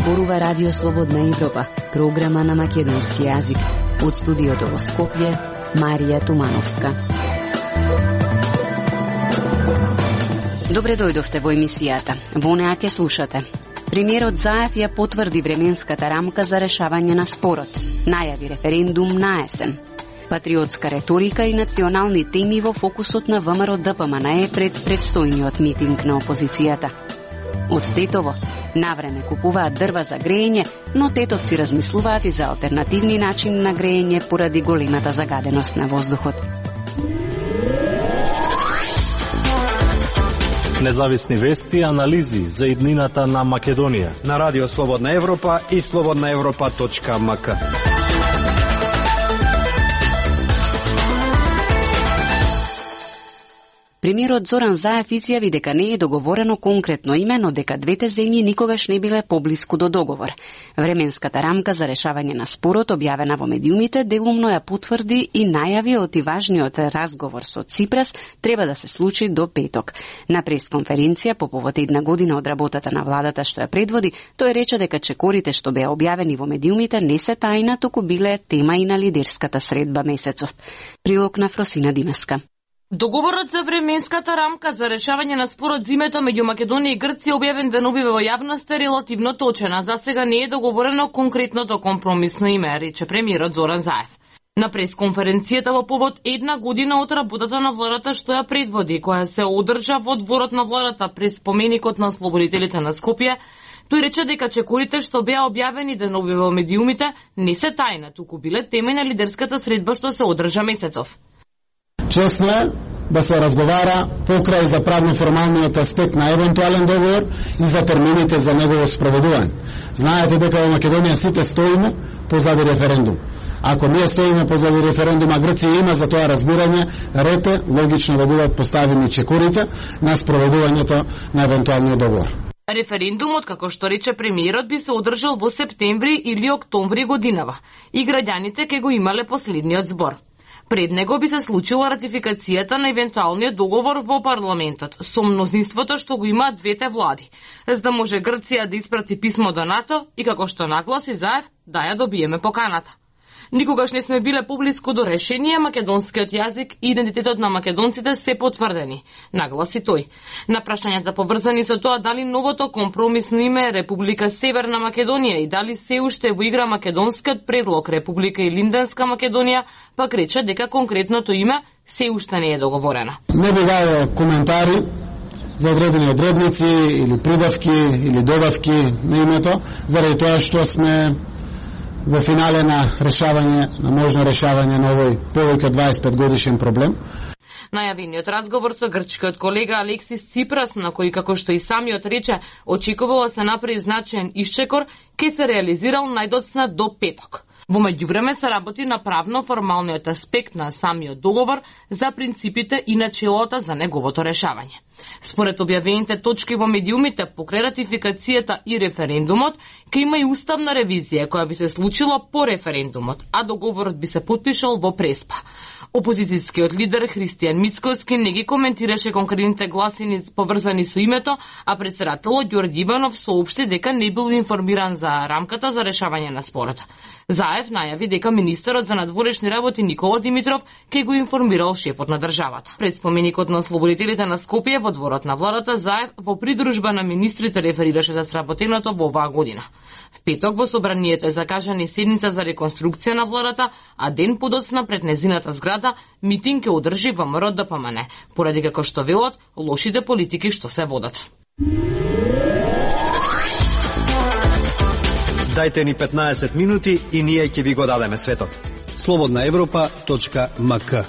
зборува Радио Слободна Европа, програма на македонски јазик. Од студиото во Скопје, Марија Тумановска. Добре дојдовте во емисијата. Во неа ќе слушате. Премиерот Заев ја потврди временската рамка за решавање на спорот. Најави референдум на есен. Патриотска реторика и национални теми во фокусот на ВМРО-ДПМНЕ пред предстојниот митинг на опозицијата. Од Тетово, навреме купуваат дрва за грејење, но тетовци размислуваат и за алтернативни начини на грејење поради големата загаденост на воздухот. Независни вести и анализи за иднината на Македонија на Радио Слободна Европа и slobodnaevropa.mk. Премиерот Зоран Заев изјави дека не е договорено конкретно име, но дека двете земји никогаш не биле поблиску до договор. Временската рамка за решавање на спорот, објавена во медиумите, делумно ја потврди и најави оти важниот разговор со Ципрас треба да се случи до петок. На пресконференција по повод една година од работата на владата што ја предводи, тој рече дека чекорите што беа објавени во медиумите не се тајна, туку биле тема и на лидерската средба месецов. Прилог на Фросина Димеска. Договорот за временската рамка за решавање на спорот зимето меѓу Македонија и Грција објавен денобиве во јавноста е релативно точен, а за сега не е договорено конкретното компромисно име, рече премиерот Зоран Заев. На пресконференцијата во повод една година од работата на владата што ја предводи, која се одржа во дворот на владата пред споменикот на ослободителите на Скопје, тој рече дека чекорите што беа објавени денобиве во медиумите не се тајна, туку биле тема на лидерската средба што се одржа месецов. Чесно е да се разговара покрај за правно-формалниот аспект на евентуален договор и за термините за негово спроведување. Знаете дека во Македонија сите стоиме позади референдум. Ако ние стоиме позади референдума, Грција има за тоа разбирање, ред е логично да бидат поставени чекорите на спроведувањето на евентуалниот договор. Референдумот, како што рече премиерот, би се одржал во септември или октомври годинава и граѓаните ќе го имале последниот збор. Пред него би се случила ратификацијата на евентуалниот договор во парламентот со мнозинството што го имаат двете влади, за да може Грција да испрати писмо до НАТО и, како што нагласи Заев, да ја добиеме поканата. Никогаш не сме биле поблиску до решение, македонскиот јазик и идентитетот на македонците се потврдени, нагласи тој. На прашањата поврзани со тоа дали новото компромисно име е Република Северна Македонија и дали се уште во игра македонскиот предлог Република Илинденска Македонија, пак рече дека конкретното име се уште не е договорено. Не би дал коментари за одредени одредници или прибавки или добавки на името, заради тоа што сме во финале на решавање, на можно решавање на овој повеќе 25 годишен проблем. Најавениот разговор со грчкиот колега Алексис Ципрас, на кој, како што и самиот рече, очекувало се направи значаен исчекор, ке се реализирал најдоцна до петок. Во меѓувреме се работи на правно-формалниот аспект на самиот договор за принципите и начелата за неговото решавање. Според објавените точки во медиумите покрај ратификацијата и референдумот, ќе има и уставна ревизија која би се случила по референдумот, а договорот би се потпишал во преспа. Опозицијскиот лидер Христијан Мицкоски не ги коментираше конкретните гласини поврзани со името, а претседателот Ѓорѓи Иванов соопшти дека не бил информиран за рамката за решавање на спорот. Заев најави дека министерот за надворешни работи Никола Димитров ќе го информирал шефот на државата. Пред споменикот на ослободителите на Скопје во дворот на владата, Заев во придружба на министрите реферираше за сработеното во оваа година. В петок во собранието е закажана седница за реконструкција на владата, а ден подоцна пред незината зграда митинг ќе одржи ВМРО-ДПМНЕ, поради како што велат лошите политики што се водат. Дајте ни 15 минути и ние ќе ви го дадеме светот. slobodnaevropa.mk.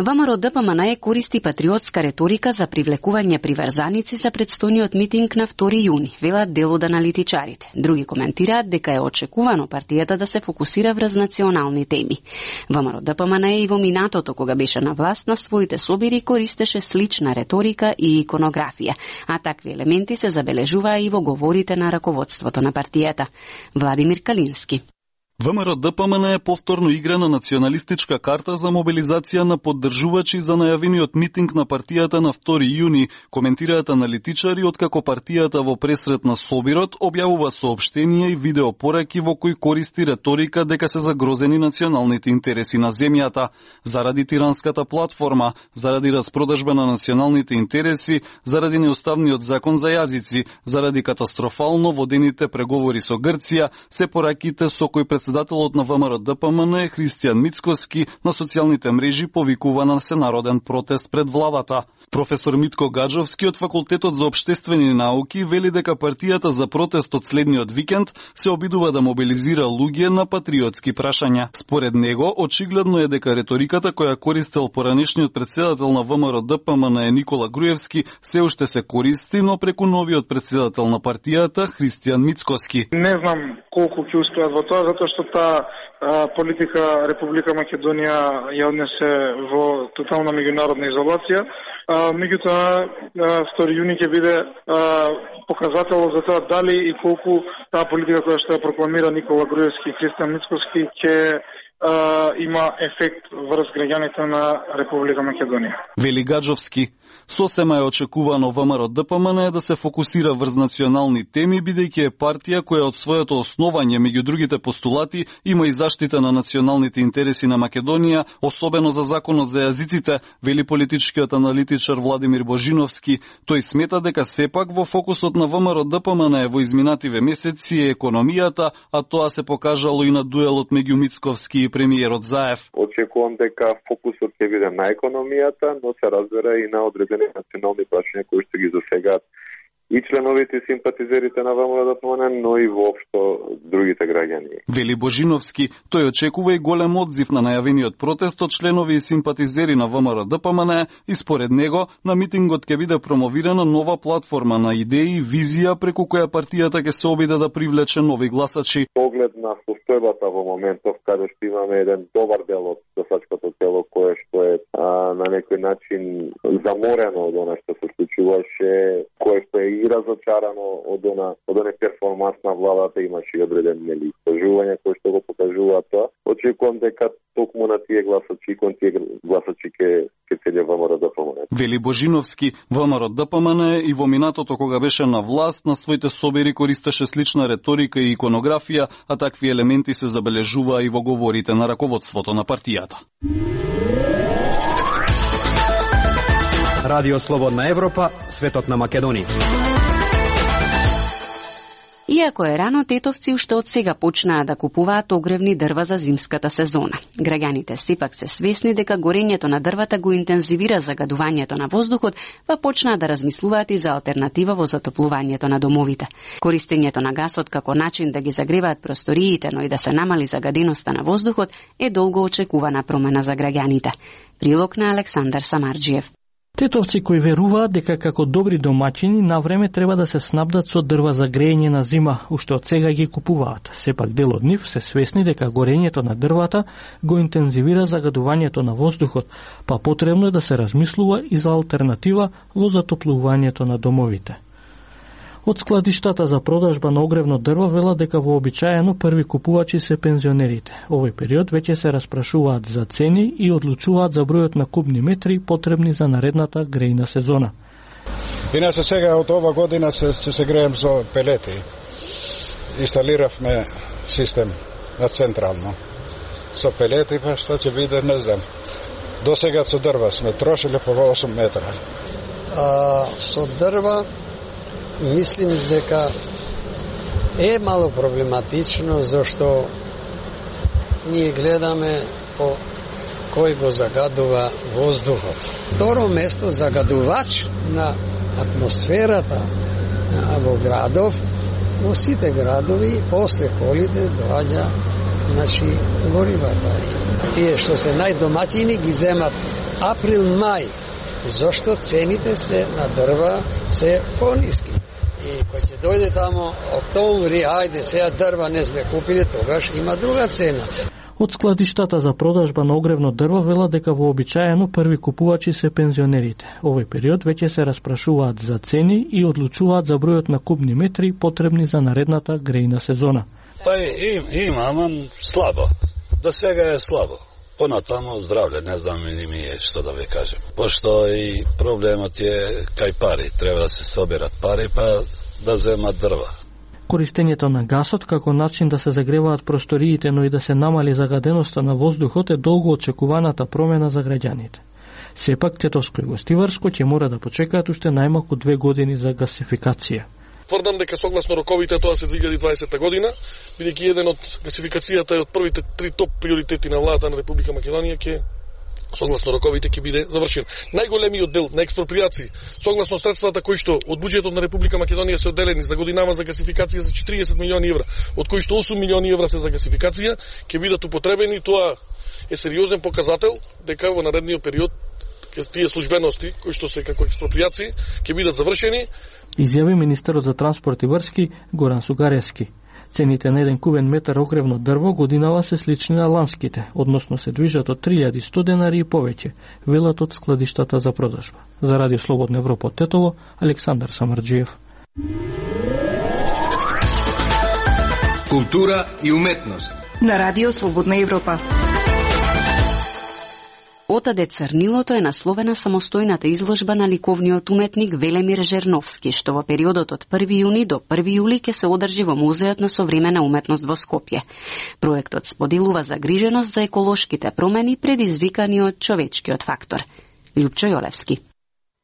ВМРО-ДПМНЕ користи патриотска реторика за привлекување приврзаници за предстојниот митинг на 2 јуни, велат дел од аналитичарите. Други коментираат дека е очекувано партијата да се фокусира врз национални теми. ВМРО-ДПМНЕ и во минатото, кога беше на власт, на своите собири користеше слична реторика и иконографија, а такви елементи се забележуваа и во говорите на раководството на партијата. Владимир Калински. ВМРО-ДПМН е повторно игра на националистичка карта за мобилизација на поддржувачи за најавениот митинг на партијата на 2 јуни, коментираат аналитичари откако партијата во пресрет на Собирот објавува соопштенија и видеопораки во кои користи реторика дека се загрозени националните интереси на земјата, заради тиранската платформа, заради распродажба на националните интереси, заради неуставниот закон за јазици, заради катастрофално водените преговори со Грција, се пораките со кои председателот на ВМРО-ДПМН Христијан Мицкоски на социјалните мрежи повикува на всенароден протест пред владата. Професор Митко Гаджовски од Факултетот за општествени науки вели дека партијата за протест од следниот викенд се обидува да мобилизира луѓе на патриотски прашања. Според него, очигледно е дека реториката која користел поранешниот председател на ВМРО-ДПМН Никола Груевски се уште се користи, но преку новиот председател на партијата Христијан Мицкоски. Не знам колку ќе успеат во тоа, затоа што таа политика Република Македонија ја однесе во тотална меѓународна изолација. Меѓутоа, 2 јуни ќе биде показател за тоа дали и колку таа политика која што ја прокламира Никола Груевски и Христијан Мицкоски ќе има ефект врз граѓаните на Република Македонија. Вели Гаджовски. Сосема е очекувано ВМРО-ДПМН да се фокусира врз национални теми, бидејќи е партија која од своето основање меѓу другите постулати има и заштита на националните интереси на Македонија, особено за законот за јазиците, вели политичкиот аналитичар Владимир Божиновски. Тој смета дека сепак во фокусот на ВМРО-ДПМН во изминативе месеци е економијата, а тоа се покажало и на дуелот меѓу Мицковски и премиерот Заев. Очекувам дека фокусот ќе биде на економијата, но се разбира и на одредени национални прашања кои што ги засегаат и членовите и симпатизерите на ВМРО-ДПМН, но и воопшто другите граѓани. Вели Божиновски, тој очекува и голем одзив на најавениот протест од членови и симпатизери на ВМРО-ДПМН и според него на митингот ќе биде промовирана нова платформа на идеи и визија преку која партијата ќе се обиде да привлече нови гласачи. Поглед на состојбата во моментов каде што имаме еден добар дел од гласачкото тело кое што е на некој начин заморено од она што се случуваше, кое што е и разочарано од оне перформанс на владата, имаше и одредени истражувања кои што го покажуваат тоа. Очекувам дека токму на тие гласачи, кон тие гласачи ќе седе ВМРО-ДПМН. Вели Божиновски, ВМРО-ДПМН и во минатото кога беше на власт, на своите собери користеше слична реторика и иконографија, а такви елементи се забележуваа и во говорите на раководството на партијата. Радио Слободна Европа, светот на Македонија. Иако е рано, тетовци уште од сега почнаа да купуваат огревни дрва за зимската сезона. Граѓаните сепак се свесни дека горењето на дрвата го интензивира загадувањето на воздухот, па почнаа да размислуваат и за алтернатива во затоплувањето на домовите. Користењето на гасот како начин да ги загреваат просториите, но и да се намали загаденоста на воздухот е долго очекувана промена за граѓаните. Прилог на Александар Самарџиев. Тетовци кои веруваат дека како добри домаќини на време треба да се снабдат со дрва за грејење на зима, уште од сега ги купуваат. Сепак дел од нив се свесни дека горењето на дрвата го интензивира загадувањето на воздухот, па потребно е да се размислува и за алтернатива во затоплувањето на домовите. Од складиштата за продажба на огревно дрво велат дека вообичаено први купувачи се пензионерите. Овој период веќе се распрашуваат за цени и одлучуваат за бројот на кубни метри потребни за наредната грејна сезона. Иначе сега од ова година се греем со пелети. Инсталиравме систем на централно. Со пелети, па што ќе биде, не знам. До сега со дрва сме трошиле по 8 метра. Со дрва мислим дека е мало проблематично, зашто ние гледаме по кој го загадува воздухот. Второ место, загадувач на атмосферата во градов, во сите градови, после колиде доаѓа горивата. Тие што се најдомаќини ги земат април-мај, зашто цените се на дрва се пониски. И кој ќе дојде тамо октомври, ајде сега дрва не сме купили, тогаш има друга цена. Од складиштата за продажба на огревно дрво велат дека вообичаено први купувачи се пензионерите. Овој период веќе се распрашуваат за цени и одлучуваат за бројот на кубни метри потребни за наредната грејна сезона. Па има, ама слабо. До сега е слабо. Понатамо здравле, не знам и ми е што да ви кажем. Пошто и проблемот е кај пари. Треба да се соберат пари, па да земат дрва. Користењето на гасот како начин да се загреваат просториите, но и да се намали загаденоста на воздухот е долго очекуваната промена за граѓаните. Сепак Тетовско и Гостиварско ќе мора да почекаат уште најмалку 2 години за гасификација. Тврдам дека согласно роковите тоа се 2020 година, бидејќи еден од гасификацијата е од првите 3 топ приоритети на владата на Република Македонија ќе согласно роковите ќе биде завршен. Најголемиот дел на експроприации, согласно средствата кои што од буџетот на Република Македонија се одделени за годинава за гасификација за 40 милиони евра, од кои што 8 милиони евра се за гасификација, ќе бидат употребени. Тоа е сериозен показател дека во наредниот период тие службености кои што се како експроприации ќе бидат завршени. Изјави министерот за транспорт и врски Горан Сугарески. Цените на еден кубен метар огревно дрво годинава се слични на ланските, односно се движат од 3100 денари и повеќе, велат од складиштата за продажба. За Радио Слободна Европа од Тетово, Александар Самарџиев. Култура и уметност на Радио Слободна Европа. Отаде Црнилото е насловена самостојната изложба на ликовниот уметник Велемир Жерновски, што во периодот од 1 јуни до 1 јули ќе се одржи во Музеот на современа уметност во Скопје. Проектот споделува загриженост за еколошките промени предизвикани од човечкиот фактор. Љупчо Јолевски.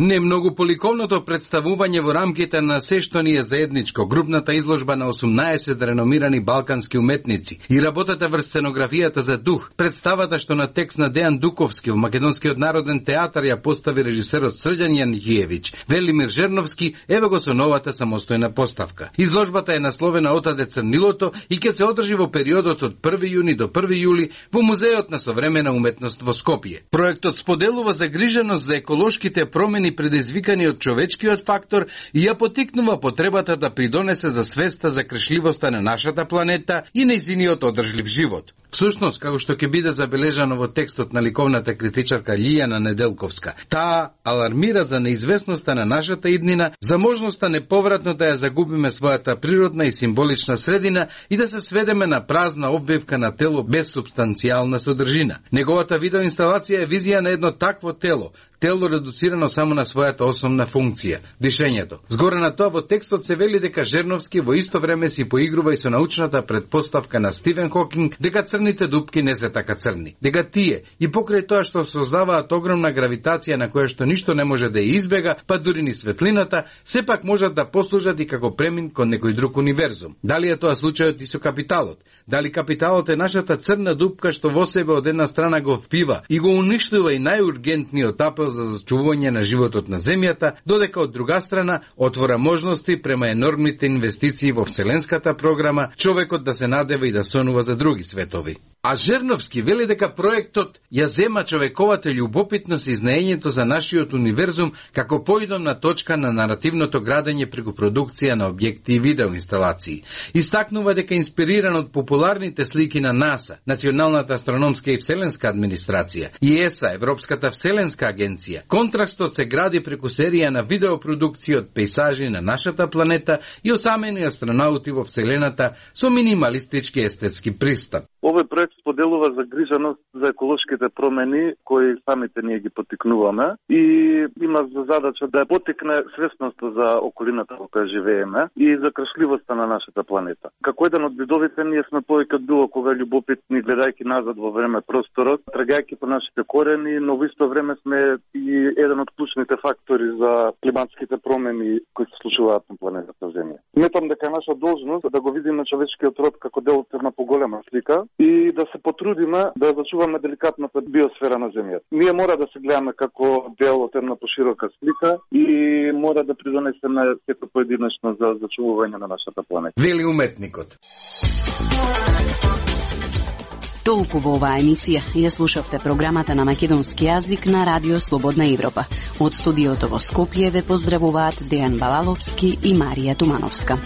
Не многу поликовното представување во рамките на се што ни е заедничко, групната изложба на 18 реномирани балкански уметници и работата врз сценографијата за дух, представата што на текст на Дејан Дуковски во Македонскиот народен театар ја постави режисерот Срđan Јанјиевиќ, Велимир Жерновски, еве го со новата самостојна поставка. Изложбата е насловена Отаде Црнилото и ќе се одржи во периодот од 1 јуни до 1 јули во Музеот на современа уметност во Скопје. Проектот споделува загриженост за еколошките промени предизвикани од човечкиот фактор и ја потикнува потребата да придонесе за свеста за крешливоста на нашата планета и нејзиниот одржлив живот. Всушност, како што ќе биде забележано во текстот на ликовната критичарка Лијана Неделковска, таа алармира за неизвестноста на нашата иднина, за можноста неповратно да ја загубиме својата природна и символична средина и да се сведеме на празна обвивка на тело без субстанцијална содржина. Неговата видеоинсталација е визија на едно такво тело редуцирано само на својата основна функција – дишењето. Згоре на тоа во текстот се вели дека Жерновски во исто време си поигрува и со научната предпоставка на Стивен Хокинг дека црните дупки не се така црни. Дека тие и покрај тоа што создаваат огромна гравитација на која што ништо не може да ја избега, па дури ни светлината, сепак можат да послужат и како премин кон некој друг универзум. Дали е тоа случајот и со капиталот? Дали капиталот е нашата црна дупка што во себе од една страна го впива и го уништува и најургентниот апел за зачувување на животот на земјата, додека од друга страна отвора можности према енормните инвестиции во вселенската програма човекот да се надева и да сонува за други светови. А Жерновски вели дека проектот ја зема човековата љубопитност и знаењето за нашиот универзум како поидомна точка на наративното градење преку продукција на објекти и видеоинсталации. Истакнува дека инспириран од популарните слики на НАСА, Националната астрономска и вселенска администрација, и ЕСА, Европската вселенска агенција, контрастот се гради преку серија на видеопродукции од пейсажи на нашата планета и осамени астронаути во вселената со минималистички естетски пристап. Овој проект споделува загриженост за еколошките промени кои самите ние ги потикнуваме и има за задача да потикне свесноста за околината во која живееме и за крешливоста на нашата планета. Како еден од видовите ние сме повеќе од било кога љубопитни гледајќи назад во време просторот, трагајќи по нашите корени, но во исто време сме и еден од клучните фактори за климатските промени кои се случуваат на планетата Земја. Сметам дека е наша должност да го видиме човечкиот род како дел од една поголема слика и да се потрудиме да зачуваме деликатната биосфера на Земјата. Ние мора да се гледаме како дел од една поширока слика и мора да придонесеме сето поединечно за зачувување на нашата планета. Вели уметникот. Толку во оваа емисија. Ја слушавте програмата на македонски јазик на Радио Слободна Европа. Од студиото во Скопје ве поздравуваат Дејан Балаловски и Марија Тумановска.